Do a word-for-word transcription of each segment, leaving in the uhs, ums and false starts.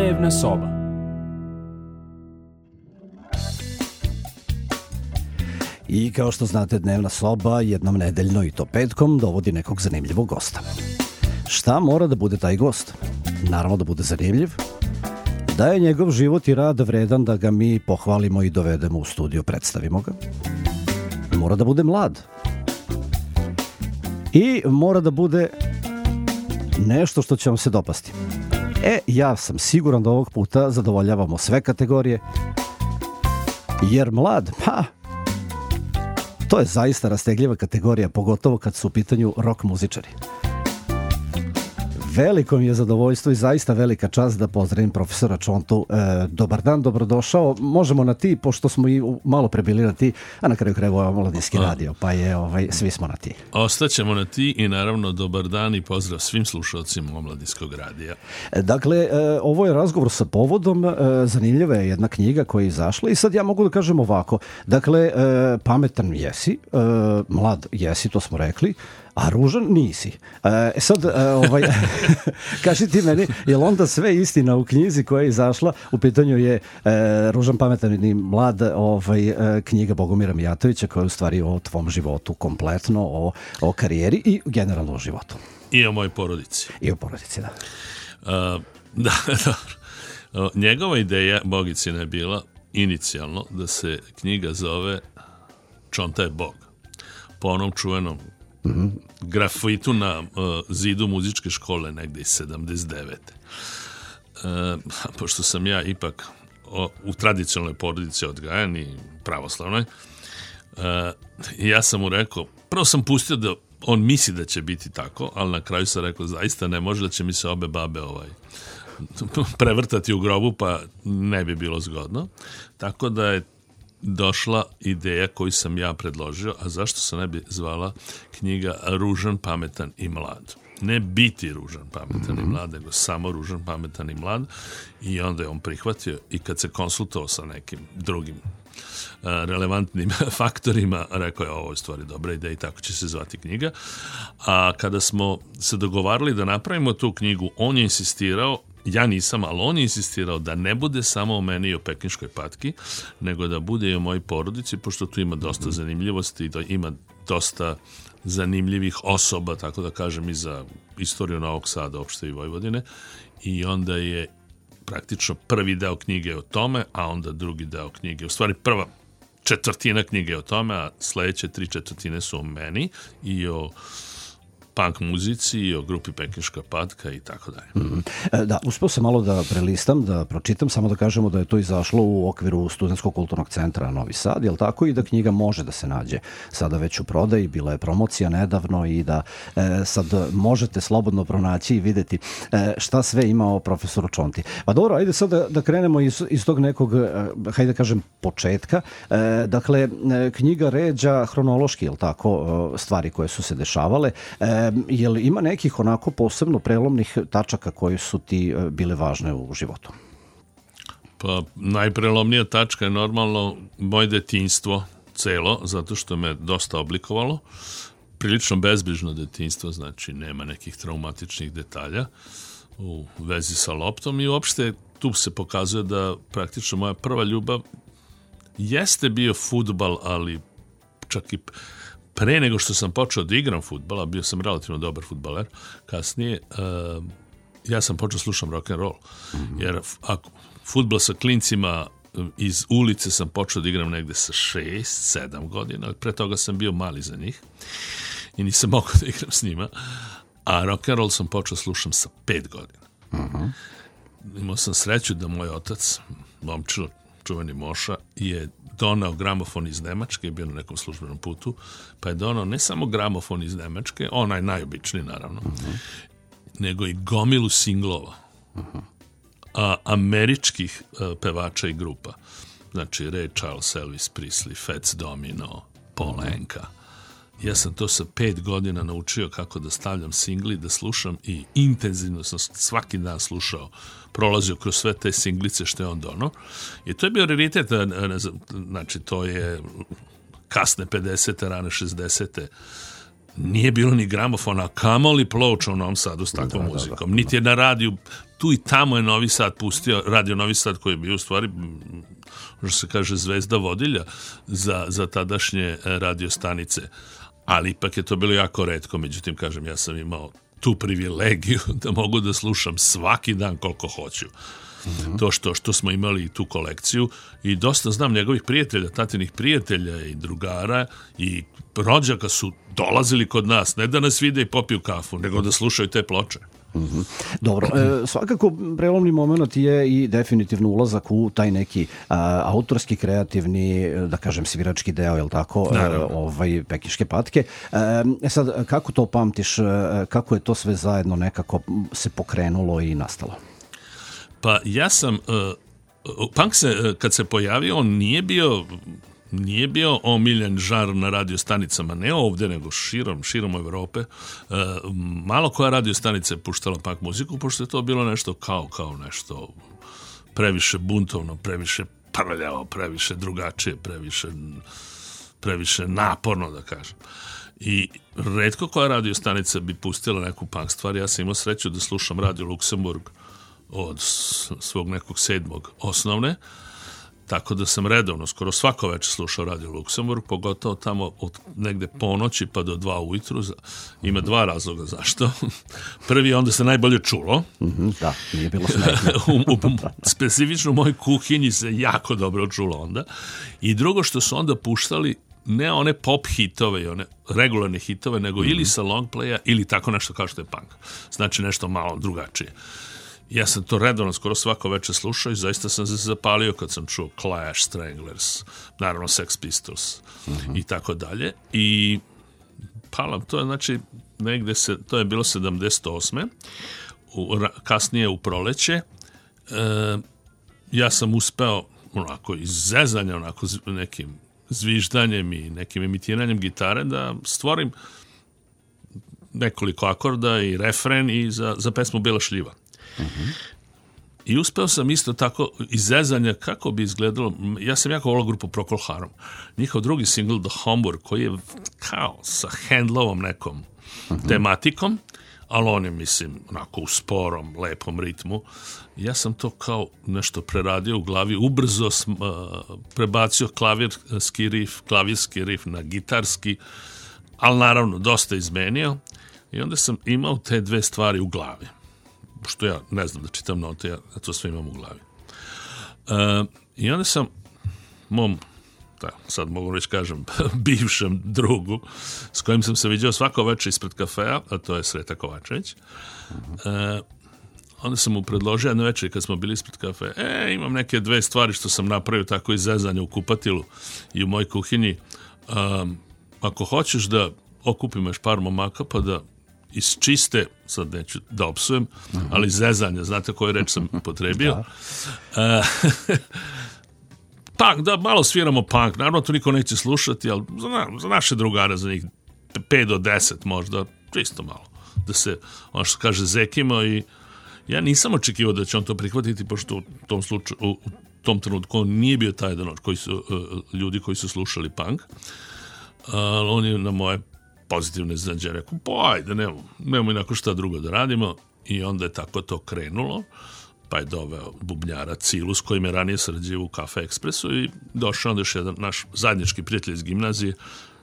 Dnevna soba. I kao što znate, Dnevna soba jednom nedeljno i to petkom dovodi nekog zanimljivog gosta. Šta mora da bude taj gost? Naravno da bude zanimljiv, da je njegov život i rad vredan da ga mi pohvalimo i dovedemo u studio, predstavimo ga. Mora da bude mlad. I mora da bude nešto što će vam se dopasti. E, ja sam siguran da ovog puta zadovoljavamo sve kategorije, jer mlad, pa, to je zaista rastegljiva kategorija, pogotovo kad su u pitanju rock muzičari. Veliko mi je zadovoljstvo i zaista velika čast da pozdravim profesora Čontu. E, dobar dan, dobrodošao. Možemo na ti, pošto smo i malo prebili na ti, a na kraju krajeva ovo Omladinski radio, pa je ovaj, svi smo na ti. Ostaćemo na ti i naravno dobar dan i pozdrav svim slušalcima Omladinskog radija. E, dakle, e, ovo je razgovor sa povodom, e, zanimljiva je jedna knjiga koja je izašla i sad ja mogu da kažem ovako. Dakle, e, pametan jesi, e, mlad jesi, to smo rekli, a ružan nisi. E sad, ovaj, kaži ti meni, je li onda sve istina u knjizi koja je izašla? U pitanju je e, Ružan, pametan i mlad, ovaj, e, knjiga Bogomira Mijatovića, koja je u stvari o tvom životu kompletno, o, o karijeri i generalno o životu. I o mojoj porodici. I o porodici, da. Uh, da, dobro. Njegova ideja, Bogicina, je bila inicijalno da se knjiga zove Čonta je Bog. Po onom čuvenom Mm-hmm. grafitu na uh, zidu muzičke škole negde iz sedamdeset devete. Uh, pošto sam ja ipak o, u tradicionalnoj porodici odgajan i pravoslavnoj, uh, ja sam mu rekao, prvo sam pustio da on misli da će biti tako, ali na kraju sam rekao, zaista ne može, da će mi se obe babe ovaj, prevrtati u grobu, pa ne bi bilo zgodno. Tako da je došla ideja koju sam ja predložio, a zašto se ne bi zvala knjiga Ružan, pametan i mlad. Ne biti ružan, pametan mm-hmm. i mlad, nego samo ružan, pametan i mlad. I onda je on prihvatio i kad se konsultovao sa nekim drugim uh, relevantnim faktorima, rekao je ovo je stvari dobra ideja i tako će se zvati knjiga. A kada smo se dogovarali da napravimo tu knjigu, on je insistirao, ja nisam, ali on je insistirao da ne bude samo o meni i o pekinškoj patki, nego da bude i o mojoj porodici, pošto tu ima dosta zanimljivosti i da ima dosta zanimljivih osoba, tako da kažem, i za istoriju Novog Sada, opšte i Vojvodine. I onda je praktično prvi deo knjige o tome, a onda drugi deo knjige, u stvari prva četvrtina knjige o tome, a sledeće tri četvrtine su o meni i o punk muzici i o grupi Pekinška patka i tako dalje. Mm. Da, uspeo sam malo da prelistam, da pročitam, samo da kažemo da je to izašlo u okviru Studentskog kulturnog centra Novi Sad, jel tako, i da knjiga može da se nađe sada već u prodaji, bila je promocija nedavno i da e, sad možete slobodno pronaći i videti e, šta sve ima o profesoru Čonti. Pa dobro, ajde sad da, da krenemo iz, iz tog nekog, e, hajde da kažem, početka. E, dakle, e, knjiga ređa hronološki, jel tako, e, stvari koje su se dešavale. E, je li ima nekih onako posebno prelomnih tačaka koje su ti bile važne u životu? Pa najprelomnija tačka je normalno moje detinjstvo celo, zato što me dosta oblikovalo. Prilično bezbrižno detinjstvo, znači nema nekih traumatičnih detalja u vezi sa loptom i uopšte tu se pokazuje da praktično moja prva ljubav jeste bio fudbal, ali čak i pre nego što sam počeo da igram fudbala, bio sam relativno dobar fudbaler, kasnije uh, ja sam počeo slušam rock and roll. Mm-hmm. Jer ako fudbal sa klincima iz ulice sam počeo da igram negde sa šest, sedam godina, ali pre toga sam bio mali za njih i nisam mogao da igram s njima, a rock and roll sam počeo slušam sa pet godina. Mm-hmm. Imao sam sreću da moj otac, momčilo, čuveni Moša, je donao gramofon iz Nemačke, bio na nekom službenom putu, pa je donao ne samo gramofon iz Nemačke, onaj najobičniji naravno, uh-huh. nego i gomilu singlova, uh-huh. a, američkih a, pevača i grupa. Znači Ray Charles, Elvis Presley, Fats Domino, Paul uh-huh. Anka. Ja sam to sa pet godina naučio kako da stavljam singli, da slušam i intenzivno sam svaki dan slušao, prolazio kroz sve te singlice što je on donao. I to je bio raritet, znači to je kasne pedesete, rane šezdesete. nije bilo ni gramofona, kamoli ploča u Novom Sadu s takvom da, muzikom. Da, da, niti je na radiju, tu i tamo je Novi Sad pustio, radio Novi Sad koji je bio u stvari, što se kaže, zvezda vodilja za, za tadašnje radio stanice. Ali ipak je to bilo jako retko, međutim, kažem, ja sam imao tu privilegiju da mogu da slušam svaki dan koliko hoću. Mm-hmm. To što, što smo imali tu kolekciju i dosta znam njegovih prijatelja, tatinih prijatelja i drugara i rođaka su dolazili kod nas, ne da nas vide i popiju kafu, nego da slušaju te ploče. Mm-hmm. Dobro, e, svakako prelomni moment je i definitivno ulazak u taj neki a, autorski, kreativni, da kažem svirački deo, je li tako, e, ovaj, Pekiške patke. E sad, kako to pamtiš, e, kako je to sve zajedno nekako se pokrenulo i nastalo? Pa ja sam, uh, punk se, kad se pojavio, on nije bio, nije bio omiljen žar na radiostanicama, ne ovdje, nego širom, širom Evrope. Uh, malo koja radiostanica je puštala punk muziku, pošto je to bilo nešto kao, kao nešto previše buntovno, previše prljavo, previše drugačije, previše, previše naporno, da kažem. I retko koja radiostanica bi pustila neku punk stvar. Ja sam imao sreću da slušam Radio Luksemburg od svog nekog sedmog osnovne, tako da sam redovno, skoro svako večer slušao Radio Luksemburg, pogotovo tamo od negde ponoći pa do dva ujutru. Ima dva razloga zašto. Prvi, onda se najbolje čulo. Mm-hmm, da, nije bilo smetno. u, u, specifično u mojoj kuhinji se jako dobro čulo onda. I drugo, što su onda puštali ne one pop hitove i one regularne hitove, nego mm-hmm. ili sa long playa ili tako nešto kao što je punk. Znači nešto malo drugačije. Ja sam to redovno skoro svako večer slušao i zaista sam se zapalio kad sam čuo Clash, Stranglers, naravno Sex Pistols mm-hmm. i tako dalje. I palam, to je znači negde se, to je bilo sedamdeset osme U, kasnije u proleće. E, ja sam uspeo onako iz zezanja, onako nekim zviždanjem i nekim imitiranjem gitare da stvorim nekoliko akorda i refren i za, za pesmu Bila šljiva. Uh-huh. I uspeo sam isto tako iz zezanja kako bi izgledalo. Ja sam jako volao grupu Procol Harum. Njihov drugi singl The Homburg, koji je kao sa Handlovom nekom uh-huh. tematikom, ali on je, mislim, onako u sporom, lepom ritmu. Ja sam to kao nešto preradio u glavi, ubrzo sam, uh, prebacio klavirski rif, klavirski rif na gitarski, ali naravno dosta izmenio i onda sam imao te dve stvari u glavi. Što ja ne znam da čitam note, ja to sve imam u glavi. Uh, I onda sam mom, da, sad mogu reći kažem, bivšem drugu, s kojim sam se viđao svako večer ispred kafea, a to je Sreta Kovačević, uh, onda sam mu predložio jedno večer kad smo bili ispred kafea, e, imam neke dve stvari što sam napravio tako iz zezanja u kupatilu i u mojoj kuhinji. Um, ako hoćeš da okupimo još par momaka pa da iz čiste, sad neću da opsujem, uh-huh. ali zezanja, znate koju reč sam upotrebio. Da. Uh, punk, da malo sviramo punk, naravno to niko neće slušati, ali za, za naše drugare, za njih pet do deset možda, čisto malo, da se, ono što kaže, zekimo i ja nisam očekivao da će on to prihvatiti, pošto u tom slučaju, u tom trenutku on nije bio taj jedan od koji su, uh, ljudi koji su slušali punk, ali on je na moje pozitivne iznenađenje rekao, pa ajde, nemamo, nemamo inako šta drugo da radimo i onda je tako to krenulo, pa je doveo bubnjara Cilu s kojim je ranije sarađivao u Cafe Expressu i došao onda još jedan naš zajednički prijatelj iz gimnazije,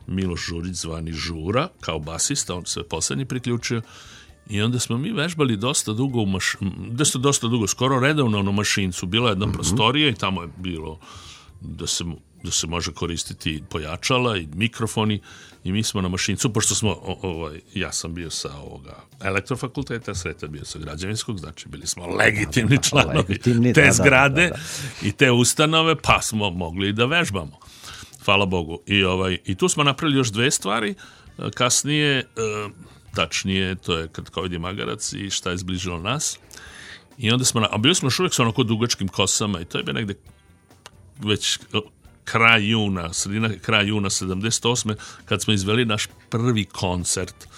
Miloš Žurić zvani Žura, kao basista, on se poslednji priključio i onda smo mi vežbali dosta dugo u maš... dosta, dosta dugo, skoro redovno na Mašincu, bila jedna mm-hmm. prostorija i tamo je bilo da se, da se može koristiti pojačala i mikrofoni i mi smo na Mašincu, pošto smo, o, ovaj, ja sam bio sa ovoga elektrofakulteta, Sreta bio sa građevinskog, znači bili smo legitimni članovi legitimni, te da, zgrade da, da, da. i te ustanove, pa smo mogli da vežbamo. Hvala Bogu. I, ovaj, i tu smo napravili još dve stvari, kasnije, e, tačnije, to je Kratkovidni magarac i Šta je zbližilo nas. I onda smo, a bili smo još uvijek sa onako dugačkim kosama i to je bio negde već kraj juna, sredina kraj juna sedamdeset osme kad smo izveli naš prvi koncert.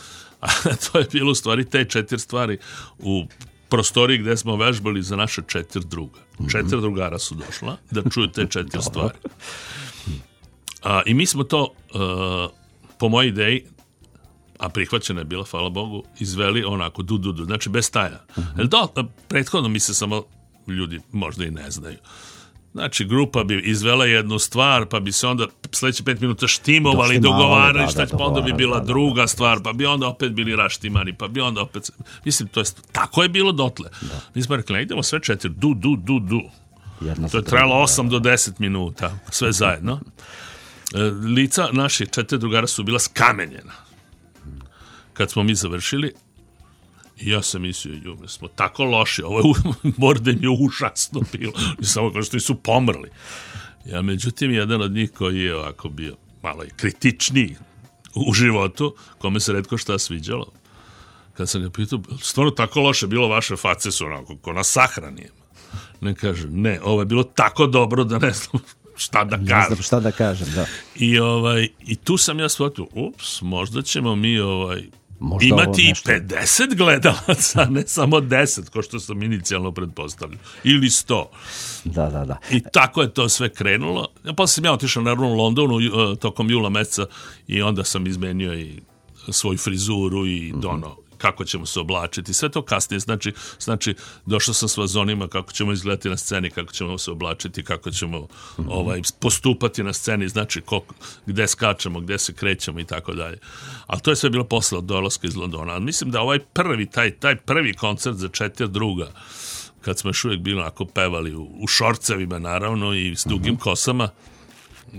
A to je bilo u stvari te četiri stvari u prostoriji gde smo vežbali za naše četiri druga. Četiri drugara su došla da čuju te četiri stvari. A, I mi smo to, uh, po mojoj ideji, a prihvaćena je bila, hvala Bogu, izveli onako du, du, du, znači bez staja. Uh-huh. Do, prethodno mi se samo ljudi možda i ne znaju. Znači, grupa bi izvela jednu stvar, pa bi se onda sledeće pet minuta štimovali, dogovarali, da, šta, da, pa onda bi bila da, da, druga da, stvar, pa bi onda opet bili raštimani, pa bi onda opet... Mislim, to je, tako je bilo dotle. Da. Mi smo rekli, idemo sve četiri, du, du, du, du. Jedna to je trajalo osam do deset minuta, sve zajedno. Lica naših četiri drugara su bila skamenjena. Kad smo mi završili, ja sam mislio, ju, mi smo tako loši, ovo je morden je užasno bilo, i samo kao što su pomrli. Ja, međutim, jedan od njih koji je ovako bio malo i kritičniji u životu, kome se retko šta sviđalo, kad sam ga pitao, stvarno tako loše bilo, vaše face su onako, ko na sahrani. Ne kaže, ne, ovo je bilo tako dobro da ne znam šta da kažem. Ne znam šta da kažem, da. I, ovaj, i tu sam ja shvatio, ups, možda ćemo mi ovaj, možda imati i pedeset gledalaca, ne samo deset, ko što sam inicijalno pretpostavljao, ili sto. Da, da, da. I tako je to sve krenulo. Posle sam ja otišao naravno u Londonu tokom jula meseca i onda sam izmenio i svoju frizuru i mm-hmm. dono kako ćemo se oblačiti, sve to kasnije, znači, znači došao sam s vazonima kako ćemo izgledati na sceni, kako ćemo se oblačiti, kako ćemo mm-hmm. ovaj, postupati na sceni, znači koliko, gde skačemo, gde se krećemo i tako dalje. Ali to je sve bilo posle od dolaska iz Londona. Ali mislim da ovaj prvi, taj, taj prvi koncert za četiri druga, kad smo još uvijek bili onako pevali u, u šorcevima naravno i s dugim mm-hmm. kosama,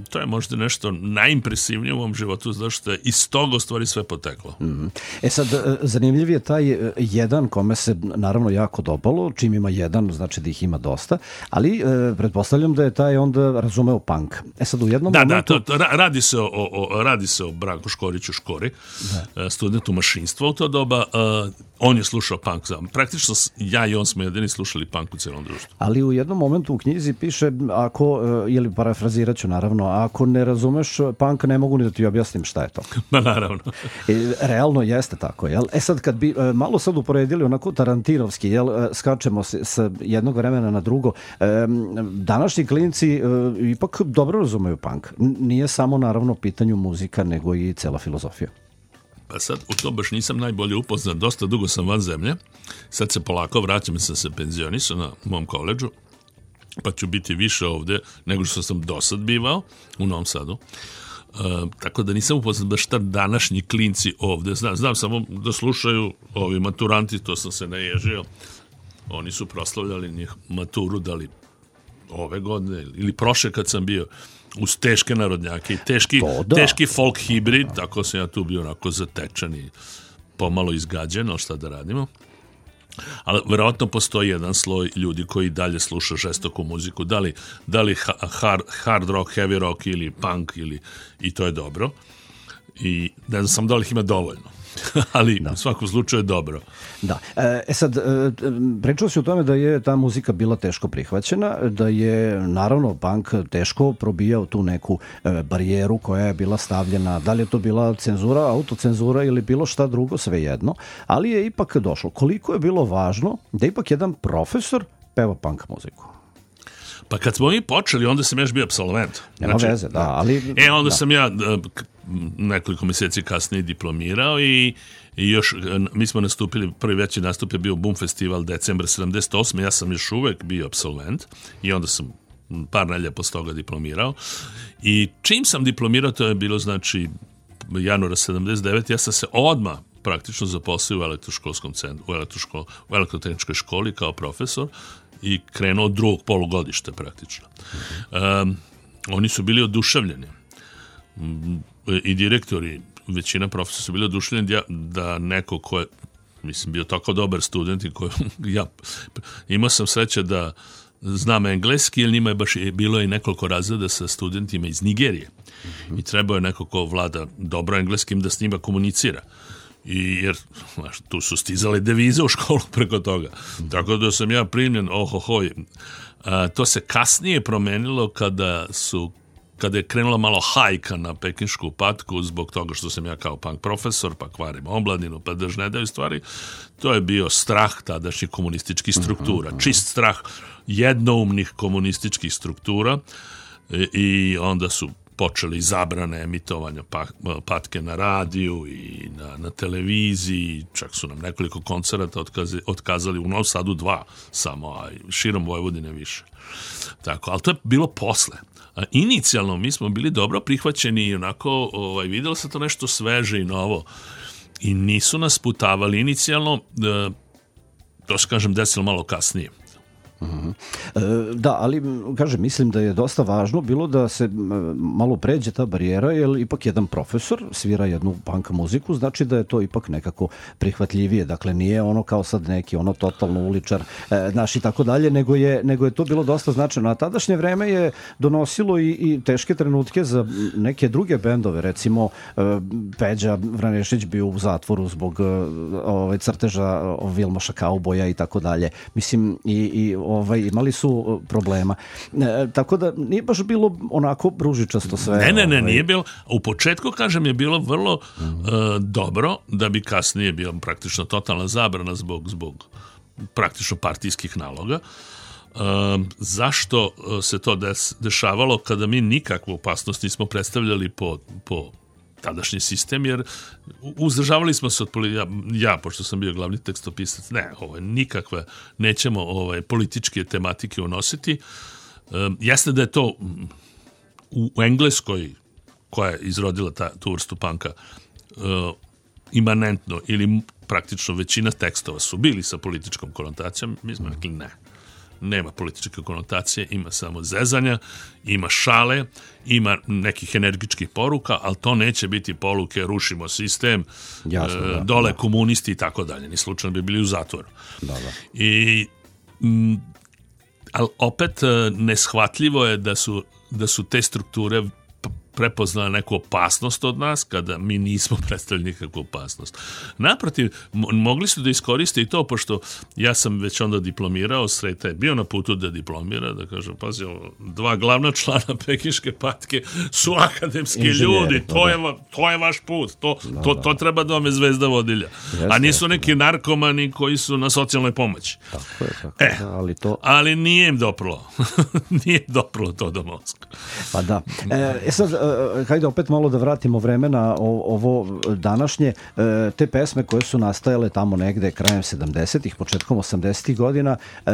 to je možda nešto najimpresivnije u mom životu, zato što je iz toga u stvari sve poteklo. Mm. E sad, zanimljiv je taj jedan kome se naravno jako dopalo, čim ima jedan, znači da ih ima dosta, ali e, pretpostavljam da je taj onda razumeo punk. E sad, u jednom da, momentu... Da, to, to, radi, se o, o, radi se o Branku Škoriću Škori, da. studentu mašinstva u to doba. Uh, on je slušao punk. Praktično ja i on smo jedini slušali punk u celom društvu. Ali u jednom momentu u knjizi piše, ako, ili parafrazirat ću naravno, ako ne razumeš punk, ne mogu ni da ti objasnim šta je to. Ma naravno. E, realno jeste tako, jel? E sad, kad bi malo sad uporedili onako tarantinovski, jel, skačemo se sa jednog vremena na drugo, e, današnji klinci e, ipak dobro razumeju punk. Nije samo naravno pitanju muzika, nego i cela filozofija. Pa sad, u to baš nisam najbolje upoznat, dosta dugo sam van zemlje, sad se polako vraćam, sam se penzionisao na mom koledžu, pa ću biti više ovde nego što sam do sad bivao u Novom Sadu. E, tako da nisam upoznat baš šta današnji klinci ovde. Znam, znam samo da slušaju ovi maturanti, to sam se naježio. Oni su proslavljali njih maturu, da li ove godine ili prošle kad sam bio uz teške narodnjake i teški, da. teški folk hibrid, tako sam ja tu bio onako zatečan i pomalo izgađen, ali šta da radimo. Ali verovatno postoji jedan sloj ljudi koji dalje sluša žestoku muziku, da li, da li hard, hard rock, heavy rock ili punk, ili, i to je dobro. I ne znam sam da li ih ima dovoljno. Ali da. U svakom slučaju je dobro. Da. E sad, pričao si o tome da je ta muzika bila teško prihvaćena, da je naravno punk teško probijao tu neku barijeru koja je bila stavljena, da li je to bila cenzura, autocenzura ili bilo šta drugo, svejedno, ali je ipak došlo. Koliko je bilo važno da ipak jedan profesor peva punk muziku? Pa kad smo mi počeli, onda sam još bio apsolvent. Nema znači, veze, da, ali... E, onda da. sam ja nekoliko mjeseci kasnije diplomirao i, i još, mi smo nastupili, prvi veći nastup je bio Boom Festival decembra sedamdeset osme. Ja sam još uvek bio apsolvent i onda sam par nelja posle toga diplomirao. I čim sam diplomirao, to je bilo, znači, januara sedamdeset devete. Ja sam se odmah praktično zaposlio u elektroškolskom centru, u, elektroškol, u elektrotehničkoj školi kao profesor i krenuo od drugog polugodišta praktično. Um, oni su bili oduševljeni. I direktori, većina profesora su bili oduševljeni da, da neko ko je, mislim, bio tako dobar student i koji, ja imao sam sreće da znam engleski, jer njima je baš bilo i nekoliko razreda sa studentima iz Nigerije. Mm-hmm. I trebao je neko ko vlada dobro engleskim da s njima komunicira. I jer, znaš, tu su stizale devize u školu preko toga. Mm-hmm. Tako da sam ja primljen, ohohoj. A, to se kasnije promenilo kada su kada je krenula malo hajka na pekinšku patku zbog toga što sam ja kao punk profesor, pa kvarim omladinu, pa drž ne daju stvari, to je bio strah tadašnjih komunističkih struktura. Čist strah jednoumnih komunističkih struktura i onda su počeli zabrane emitovanja pa, patke na radiju i na, na televiziji, čak su nam nekoliko koncerata otkazi, otkazali, u Novom Sadu dva samo, a širom Vojvodine više. Tako, ali to je bilo posle. A inicijalno mi smo bili dobro prihvaćeni i onako ovaj, vidjelo se to nešto sveže i novo i nisu nas putavali inicijalno, to se kažem desilo malo kasnije. Uh-huh. E, da, ali kažem, mislim da je dosta važno bilo da se malo pređe ta barijera, jer ipak jedan profesor svira jednu punk muziku, znači da je to ipak nekako prihvatljivije, dakle nije ono kao sad neki ono totalno uličar e, naš i tako dalje, nego je, nego je to bilo dosta značajno. A tadašnje vreme je donosilo i, i teške trenutke za neke druge bendove, recimo e, Peđa Vranešić bio u zatvoru zbog e, ovaj, crteža Vilmoša Kauboja i tako dalje. Mislim, i, i ovaj, imali su problema. E, tako da nije baš bilo onako ružičasto sve. Ne, ne, ne, ovaj. nije bilo. U početku, kažem, je bilo vrlo mm. uh, dobro, da bi kasnije bilo praktično totalna zabrana zbog, zbog praktično partijskih naloga. Uh, zašto se to des, dešavalo kada mi nikakvu opasnost nismo predstavljali po, po tadašnji sistem, jer uzdržavali smo se od ja, ja, pošto sam bio glavni tekstopisac, ne, ovo, nikakve, nećemo ovaj, političke tematike unositi. Um, jasno da je to u, u Engleskoj, koja je izrodila ta, tu vrstu panka, uh, imanentno ili praktično većina tekstova su bili sa političkom konotacijom, mi smo rekli ne. Nema političke konotacije, ima samo zezanja, ima šale, ima nekih energičkih poruka, ali to neće biti poruke rušimo sistem, Jasno, da, dole da. komunisti i tako dalje. Ni slučajno bi bili u zatvoru. Da, da. I, m, ali opet neshvatljivo je da su, da su te strukture prepoznala neku opasnost od nas, kada mi nismo predstavili nikakvu opasnost. Naprotiv, mogli su da iskoriste i to, pošto ja sam već onda diplomirao, Sreta je bio na putu da diplomira, da kažem, pazi, dva glavna člana Pekinške patke su akademski Inženjeri, ljudi, to, da, je, to je vaš put, to, da, to, da. to treba da vam je zvezda vodilja. Jeste, a nisu neki jeste. narkomani koji su na socijalnoj pomoći. Tako je, tako e, da, ali to... Ali nije im doprlo. Nije im doprlo to do mozga. Pa da. E, sad, e, hajde opet malo da vratimo vreme na ovo današnje. E, te pesme koje su nastajale tamo negde krajem sedamdesetih, početkom osamdesetih godina, e,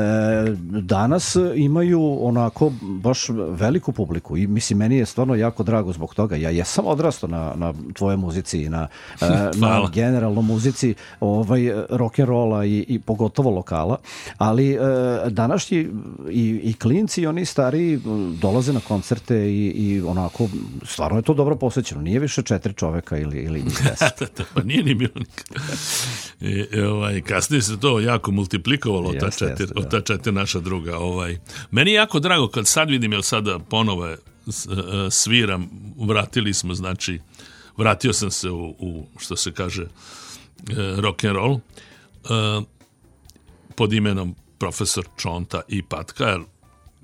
danas imaju onako baš veliku publiku i mislim, meni je stvarno jako drago zbog toga. Ja jesam odrastao na, na tvoje muzici i na, e, na generalno muzici ovaj, rock'n'rolla i, i pogotovo lokala, ali e, današnji i, i klinci i oni stariji dolaze na koncerte i, i onako stvarno je to dobro posvećeno. Nije više četiri čoveka ili, ili deset. Pa nije ni bilo nikad. I, ovaj, kasnije se to jako multiplikovalo od ta četiri, od ta četiri naša druga. Ovaj. Meni je jako drago kad sad vidim, jer sada ponovo sviram, vratili smo, znači, vratio sam se u, u što se kaže, rock and roll pod imenom Profesor Čonta i Patka, jer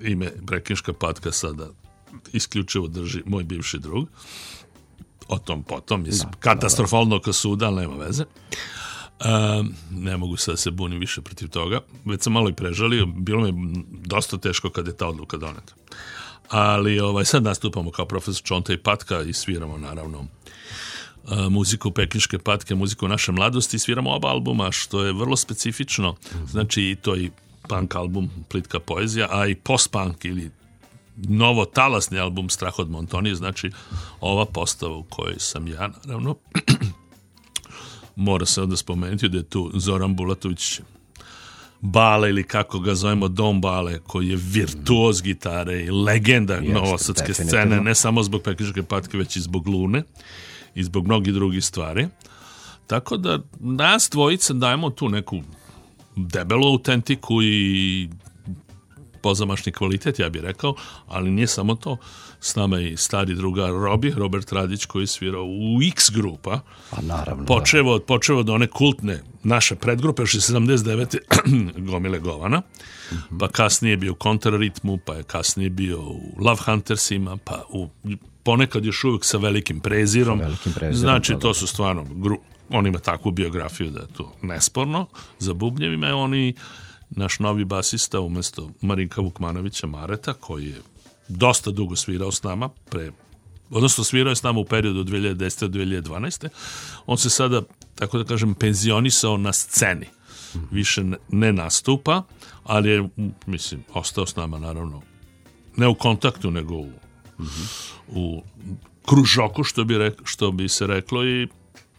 ime Pekinška patka sada isključivo drži moj bivši drug. O tom potom, mislim, da, katastrofalno ka suda, ali nema veze. Um, ne mogu sad se bunim više protiv toga. Već sam malo i prežalio, bilo mi je dosta teško kad je ta odluka doneta. Ali ovaj, sad nastupamo kao Profesor Čonta i Patka i sviramo naravno uh, muziku Pekinške patke, muziku naše mladosti, sviramo oba albuma, što je vrlo specifično. Znači i to i punk album Plitka poezija, a i post-punk ili novo talasni album Strah od Montonije, znači ova postava u kojoj sam ja, naravno. Mora se onda spomenuti da je tu Zoran Bulatović Bale, ili kako ga zovemo, Dom Bale, koji je virtuoz gitare i legenda Jeste, novosadske scene, ne samo zbog Pekinške patke, već i zbog Lune i zbog mnogih drugih stvari. Tako da nas dvojica dajemo tu neku debelu autentiku i pozamašni kvalitet, ja bih rekao, ali nije samo to. S nama je i stari drugar Robi, Robert Radić, koji je svirao u X grupa. Pa naravno. Počevo, počevo od one kultne naše predgrupe, još je sedamdeset devete Gomile Govana, mm-hmm. pa kasnije je bio u Kontraritmu, pa je kasnije bio u Love Huntersima, pa u, ponekad još uvijek sa Velikim Prezirom. Sa velikim prezirom znači, to su stvarno, gru, on ima takvu biografiju da je to nesporno. Za bubnjevima je oni naš novi basista umjesto Marinka Vukmanovića Mareta, koji je dosta dugo svirao s nama, pre odnosno svirao je s nama u periodu od dve hiljade desete do dve hiljade dvanaeste. On se sada, tako da kažem, penzionisao na sceni. Više ne nastupa, ali je, mislim, ostao s nama, naravno, ne u kontaktu, nego u, mm-hmm. u kružoku, što bi, rek, što bi se reklo, i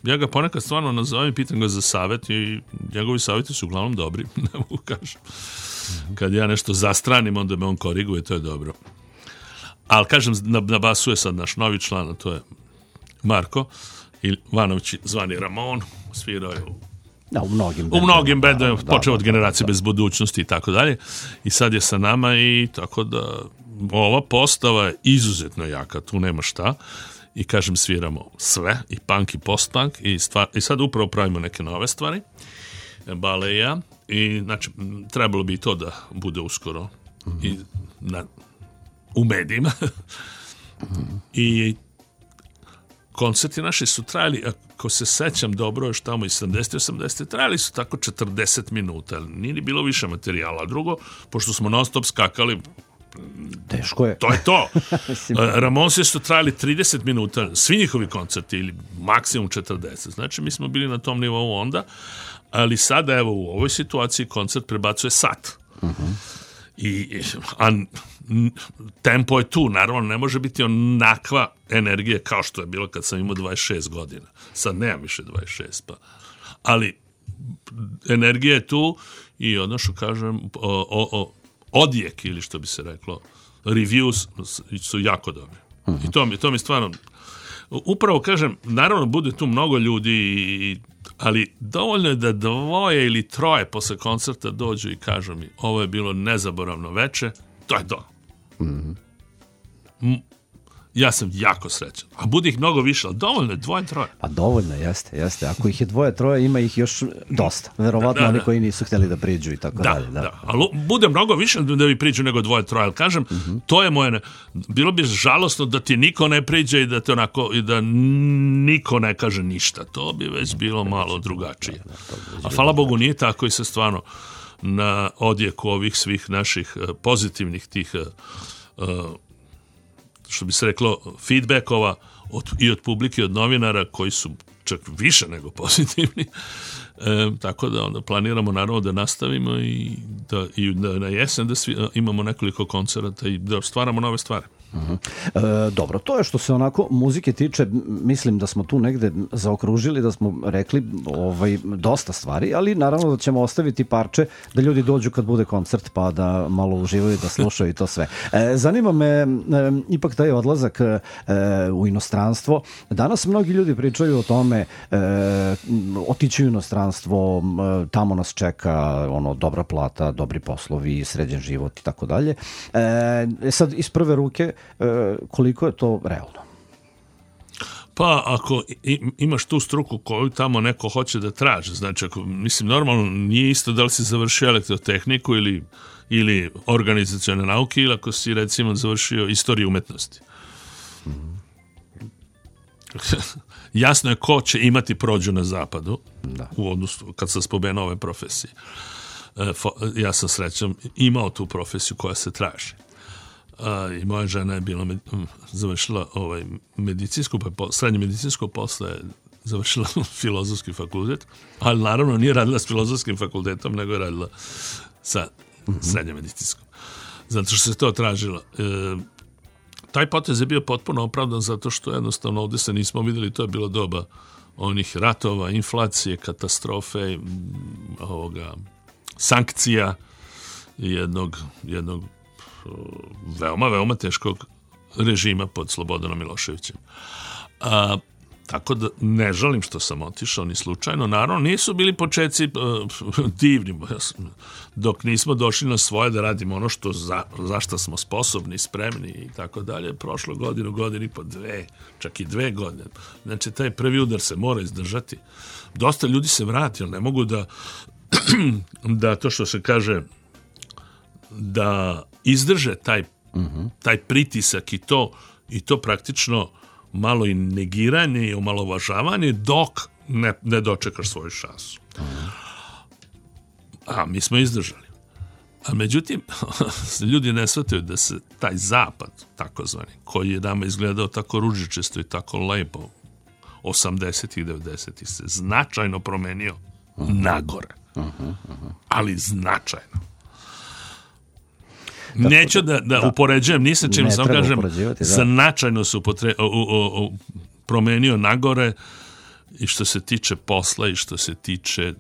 ja ga ponekad stvarno nazovem i pitam ga za savjet i njegovi savjeti su uglavnom dobri, ne mogu kažem. Mm-hmm. Kad ja nešto zastranim, onda me on koriguje, to je dobro. Ali kažem, na, na basu je sad naš novi član, a to je Marko Ivanović, zvani Ramon, svirao je u Da, u mnogim u mnogim bendovima, da, počeo da, od Generacije da, da. bez budućnosti i tako dalje. I sad je sa nama i tako da ova postava je izuzetno jaka, tu nema šta. I kažem, sviramo sve, i punk i post-punk, i, stvar, i sad upravo pravimo neke nove stvari, Bale i ja, i znači, trebalo bi i to da bude uskoro mm-hmm. i na, u medijima. mm-hmm. I koncerti naši su trajali, ako se sećam dobro, još tamo i sedamdeset osamdeset trajali su tako četrdeset minuta, nije ni bilo više materijala. Drugo, pošto smo non stop skakali, teško je. To je to. Ramonsi su trajali trideset minuta, svi njihovi koncerti, ili maksimum četrdeset. Znači, mi smo bili na tom nivou onda, ali sada, evo, u ovoj situaciji koncert prebacuje sat. Uh-huh. I, a tempo je tu, naravno, ne može biti onakva energija kao što je bilo kad sam imao dvadeset šest godina. Sad nemam više dvadeset šest, pa. Ali energija je tu i ono što kažem, o, o, o, odjek, ili što bi se reklo, reviews su jako dobri. Uh-huh. I to mi, to mi stvarno, upravo kažem, naravno bude tu mnogo ljudi, i, ali dovoljno je da dvoje ili troje posle koncerta dođu i kažu mi, ovo je bilo nezaboravno veče, to je to. Mm-hmm. Ja sam jako srećan. A bude ih mnogo više, ali dovoljno je dvoje, troje. Pa dovoljno, jeste, jeste. Ako ih je dvoje, troje, ima ih još dosta. Verovatno da, da, oni koji nisu htjeli da priđu i tako da, dalje. Da, da. Ali bude mnogo više da bi priđu nego dvoje, troje. Ali kažem, mm-hmm. to je moje... Ne... Bilo bi žalosno da ti niko ne priđe i da te onako, i da niko ne kaže ništa. To bi već bilo malo drugačije. A hvala Bogu nije tako i se stvarno na odjeku ovih svih naših pozitivnih tih uh, što bi se reklo, feedbackova od, i od publike i od novinara koji su čak više nego pozitivni. E, tako da onda planiramo naravno da nastavimo i da i da na jesen da svi, imamo nekoliko koncerata i da stvaramo nove stvari. Uh-huh. E, dobro, to je što se onako muzike tiče, mislim da smo tu negde zaokružili, da smo rekli ovaj, dosta stvari, ali naravno da ćemo ostaviti parče da ljudi dođu kad bude koncert pa da malo uživaju, da slušaju i to sve. E, zanima me e, ipak taj odlazak e, u inostranstvo. Danas mnogi ljudi pričaju o tome, e, otići u inostranstvo, e, tamo nas čeka ono, dobra plata, dobri poslovi, sređen život i tako dalje. E, sad iz prve ruke koliko je to realno? Pa ako imaš tu struku koju tamo neko hoće da traži, znači ako, mislim, normalno nije isto da li si završio elektrotehniku ili, ili organizacione nauke ili ako si recimo završio istoriju umetnosti. Mm-hmm. Jasno je ko će imati prođu na zapadu da. U odnosu kad sam spomenuo ove profesije. Ja sam srećan imao tu profesiju koja se traži. A, i moja žena je bila med, završila ovaj medicinsku, pa po, srednje medicinsko, posle je završila filozofski fakultet, ali naravno nije radila s filozofskim fakultetom, nego je radila sa mm-hmm. srednje medicinskom. Zato što se to tražilo. E, taj potez je bio potpuno opravdan zato što jednostavno ovdje se nismo vidjeli, to je bilo doba onih ratova, inflacije, katastrofe, ovoga, sankcija jednog, jednog veoma, veoma teškog režima pod Slobodanom Miloševićem. A, tako da ne žalim što sam otišao ni slučajno. Naravno, nisu bili početci uh, divni, dok nismo došli na svoje da radimo ono što za, za što smo sposobni, spremni i tako dalje. Prošlo godinu, godinu i po dve, čak i dve godine. Znači, taj prvi udar se mora izdržati. Dosta ljudi se vrati, ali ne mogu da da to što se kaže da izdrže taj, uh-huh. taj pritisak i to, i to praktično malo i negiranje i omalovažavanje dok ne, ne dočekaš svoju šansu. Uh-huh. A mi smo izdržali. A međutim, ljudi ne shvataju da se taj zapad, takozvani, koji je nama izgledao tako ružičesto i tako lepo, osamdesetih i devedesetih se značajno promenio uh-huh. nagore. Uh-huh, uh-huh. Ali značajno. Tako Neću da, da, da upoređujem ni sa čim, sam kažem, da. značajno se upotre, o, o, o, promenio nagore i što se tiče posla i što se tiče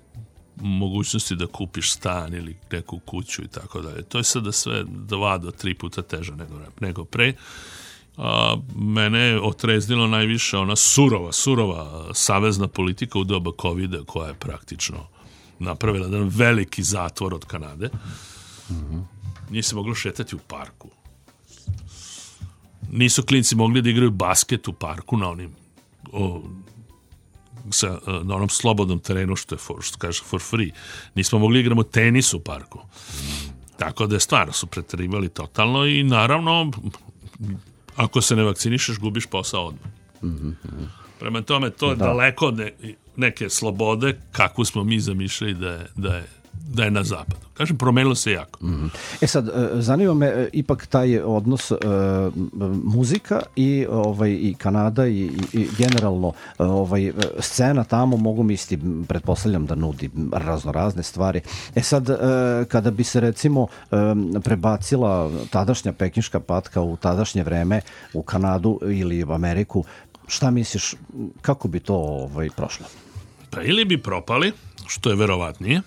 mogućnosti da kupiš stan ili neku kuću i tako dalje. To je sada sve dva do tri puta teže nego, nego pre. A, mene je otreznilo najviše ona surova, surova savezna politika u doba kovida koja je praktično napravila jedan veliki zatvor od Kanade. Mm-hmm. Nije se moglo šetati u parku. Nisu klinci mogli da igraju basket u parku na onim o, sa, na onom slobodnom terenu što je for, što kaže for free. Nismo mogli igramo tenis u parku. Tako da je stvarno su preterivali totalno i naravno ako se ne vakcinišeš gubiš posao odmah. Mm-hmm. Prema tome to je da. daleko od ne, neke slobode kakvu smo mi zamišljali da je, da je da je na zapadu. Kažem, promenilo se jako. Mm-hmm. E sad, zanima me ipak taj odnos uh, muzika i, ovaj, i Kanada i, i generalno ovaj, scena tamo, mogu misliti, pretpostavljam da nudi razno razne stvari. E sad, uh, kada bi se recimo um, prebacila tadašnja pekinška patka u tadašnje vreme u Kanadu ili u Ameriku, šta misliš, kako bi to ovaj, prošlo? Pa ili bi propali, što je verovatnije,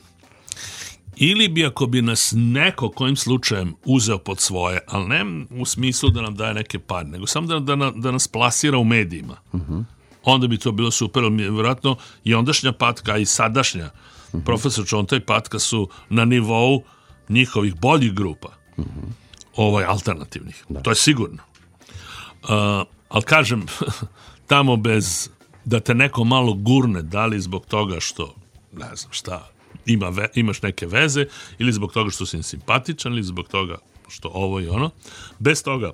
ili bi ako bi nas neko kojim slučajem uzeo pod svoje, ali ne u smislu da nam daje neke pare, nego samo da, da, da nas plasira u medijima. Uh-huh. Onda bi to bilo super, ali vjerojatno i ondašnja patka i sadašnja uh-huh. profesor Čonta i patka su na nivou njihovih boljih grupa, uh-huh. ovaj, alternativnih. Da. To je sigurno. Uh, ali kažem, tamo bez da te neko malo gurne, da li zbog toga što, ne znam šta, Ima ve, imaš neke veze ili zbog toga što si simpatičan ili zbog toga što ovo i ono. Bez toga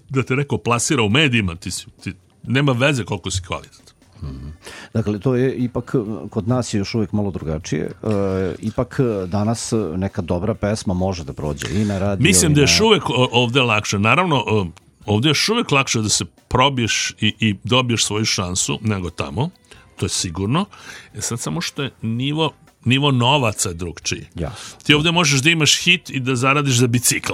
da te neko plasira u medijima, ti, si, ti nema veze koliko si kvalitetan. Mm-hmm. Dakle, to je ipak, kod nas je još uvijek malo drugačije. E, ipak danas neka dobra pesma može da prođe i na radio. Mislim da je na... još uvijek ovde lakše. Naravno, ovde je još uvijek lakše da se probiješ i, i dobiješ svoju šansu nego tamo. To je sigurno. E sad samo što je nivo nivo novaca je drugčiji. Ja. Ti ovdje možeš da imaš hit i da zaradiš za bicikl.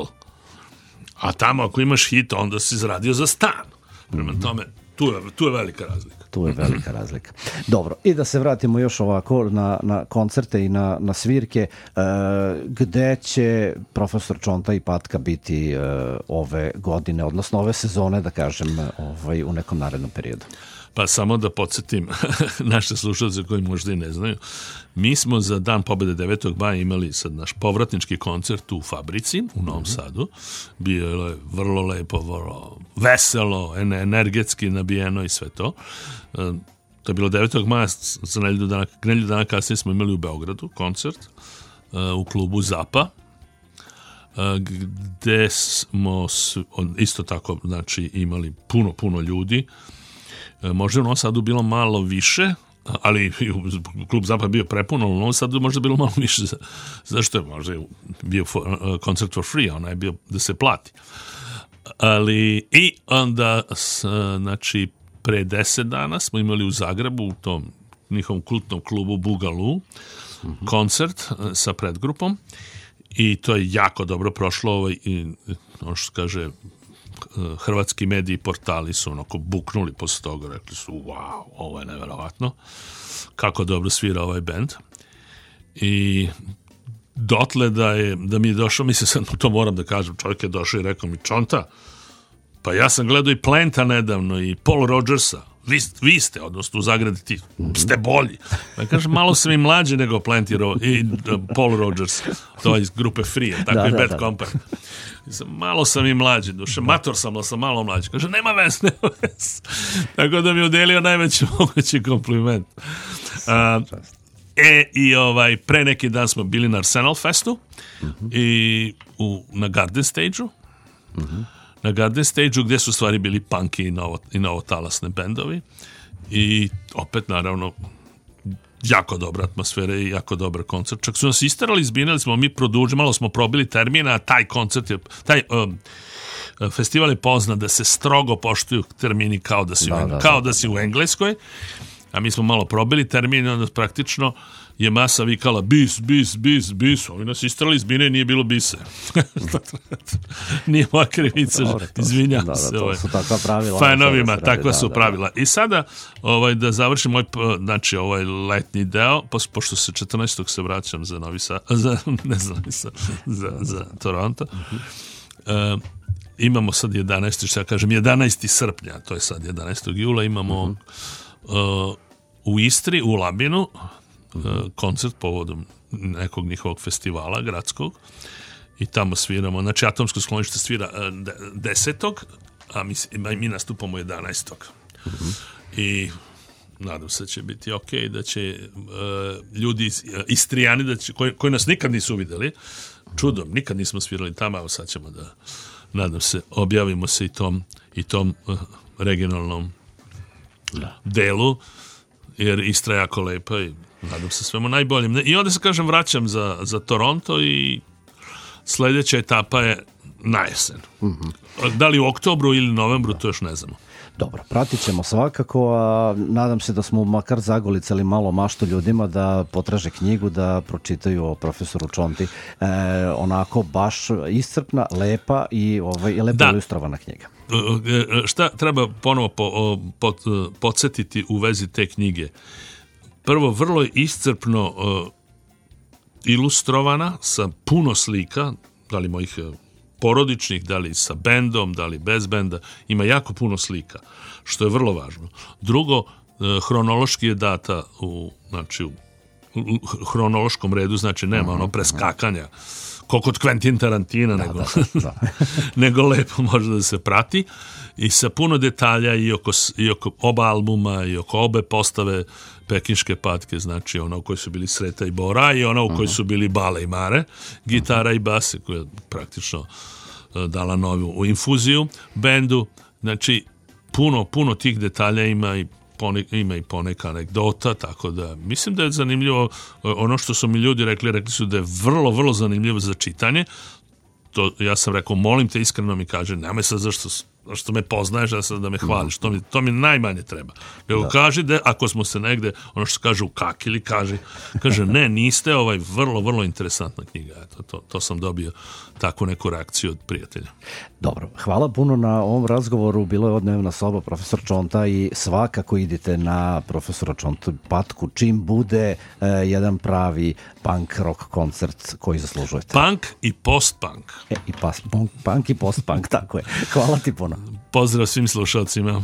A tamo ako imaš hit, onda si zaradio za stan. Prema mm-hmm. tome, tu je, tu je velika razlika. Tu je velika razlika. Dobro, i da se vratimo još ovako na, na koncerte i na, na svirke. E, gde će profesor Čonta i patka biti e, ove godine, odnosno ove sezone, da kažem, ovaj, u nekom narednom periodu? Pa samo da podsjetim naše slušalce koji možda i ne znaju. Mi smo za Dan pobjede devetog maja imali sad naš povratnički koncert u Fabrici u Novom mm-hmm. Sadu. Bio je vrlo lepo, vrlo veselo, energetski nabijeno i sve to. To je bilo devetog maja, za nedelju dana, nedelju dana kasnije smo imali u Beogradu koncert u klubu Zapa, gde smo isto tako znači, imali puno, puno ljudi. Možda u Novom Sadu bilo malo više, ali klub Zapad bio prepuno, u Novom Sadu možda bilo malo više. Zašto je možda bio for, uh, koncert for free, ona je bio da se plati. Ali i onda, znači, pre deset dana smo imali u Zagrebu, u tom njihovom kultnom klubu Bugalu, mm-hmm. koncert sa predgrupom i to je jako dobro prošlo. Ovaj, i, ono što kaže, hrvatski mediji i portali su onako buknuli posle toga, rekli su wow, ovo je neverovatno kako dobro svira ovaj bend i dotle da, je, da mi je došao, mislim sad to moram da kažem, čovjek je došao i rekao mi Čonta, pa ja sam gledao i Planta nedavno i Paul Rodgersa, vi, vi ste, odnosno u Zagradi ti ste bolji. Ja kažem, malo sam i mlađi nego Plant i, Ro- i uh, Paul Rodgers, to je iz grupe Free, tako da, i Bad da, Company. Da. Malo sam i mlađi, duše, mator sam, ali sam malo mlađi. Kaže, nema vez, nema vez. Tako da mi udelio najveći mogući kompliment. Uh, e, i ovaj, pre neki dan smo bili na Arsenal Festu uh-huh. i u, na Garden Stage-u. Uh-huh. Na Garden Stage-u gdje su stvari bili punky i, novo, i novotalasne bendovi i opet naravno jako dobra atmosfera i jako dobar koncert. Čak su nas isterali, izbinali smo, mi produžili, malo smo probili termina, a taj koncert je, taj um, festival je poznat da se strogo poštuju termini kao da si, da, u, da, kao da, da si u Engleskoj, a mi smo malo probili termin, onda praktično je masa vikala bis, bis, bis, bis, ovi nas istrali iz bine i nije bilo bise. Nije moja krivica, izvinjam da, se. Da, to su takva pravila. Fanovima, takva su da, pravila. Da. I sada, ovaj, da završim moj, znači, ovaj letnji deo, pošto se četrnaestog se vraćam za Novi Sad, za, ne znam, za, za, za Toronto, uh, imamo sad jedanaesti što ja kažem, jedanaesti srpnja, to je sad jedanaestog jula, imamo uh-huh. uh, u Istri, u Labinu, uh-huh. koncert povodom nekog njihovog festivala gradskog i tamo sviramo, znači Atomsko sklonište svira uh, desetog, a mi, mi nastupamo jedanaestog Uh-huh. I nadam se da će biti ok, da će uh, ljudi uh, Istrijani da će, koji, koji nas nikad nisu videli, čudom, nikad nismo svirali tamo, a sad ćemo da, nadam se, objavimo se i tom, i tom uh, regionalnom da. delu, jer Istra je jako lepa i nadam se svemu najboljim. I onda se, kažem, vraćam za, za Toronto i sljedeća etapa je na jesen. Mm-hmm. Da li u oktobru ili novembru, to još ne znamo. Dobro, pratit ćemo svakako, a nadam se da smo makar zagolicali malo maštu ljudima da potraže knjigu, da pročitaju o profesoru Čonti. E, onako baš iscrpna, lepa i ovaj, lepo ilustrovana knjiga. Šta treba ponovo po, po, podsjetiti u vezi te knjige? Prvo, vrlo je iscrpno uh, ilustrovana sa puno slika, da li mojih porodičnih, da li sa bendom, da li bez benda, ima jako puno slika, što je vrlo važno. Drugo, hronološki je data u, znači, u, u hronološkom redu, znači nema ono preskakanja, ko kod Quentin Tarantina, da, nego, da, da. nego lepo može da se prati i sa puno detalja i oko, i oko oba albuma i oko obe postave Pekinške patke, znači ona u kojoj su bili Sreta i Bora i ona u kojoj su bili Bale i Mare, gitara i base koja je praktično dala novu infuziju bendu, znači puno, puno tih detalja ima i Ponek, ima i poneka anegdota, tako da mislim da je zanimljivo. Ono što su mi ljudi rekli, rekli su da je vrlo, vrlo zanimljivo za čitanje. To, ja sam rekao, molim te iskreno mi kaže, nemoj sad zašto, zašto me poznaješ, da, da me hvališ, to mi, to mi najmanje treba. Nego da. Kaži da ako smo se negde, ono što se kaže ukakili, kaže, kaže ne, niste, ovaj vrlo, vrlo interesantna knjiga. Eto, to, to sam dobio takvu neku reakciju od prijatelja. Dobro, hvala puno na ovom razgovoru. Bilo je odnevna soba profesor Čonta i svakako idite na profesora Čonta patku čim bude eh, jedan pravi punk rock koncert koji zaslužujete. Punk i post-punk. E, i pas, punk, punk i post-punk, tako je. Hvala ti puno. Pozdrav svim slušalcima.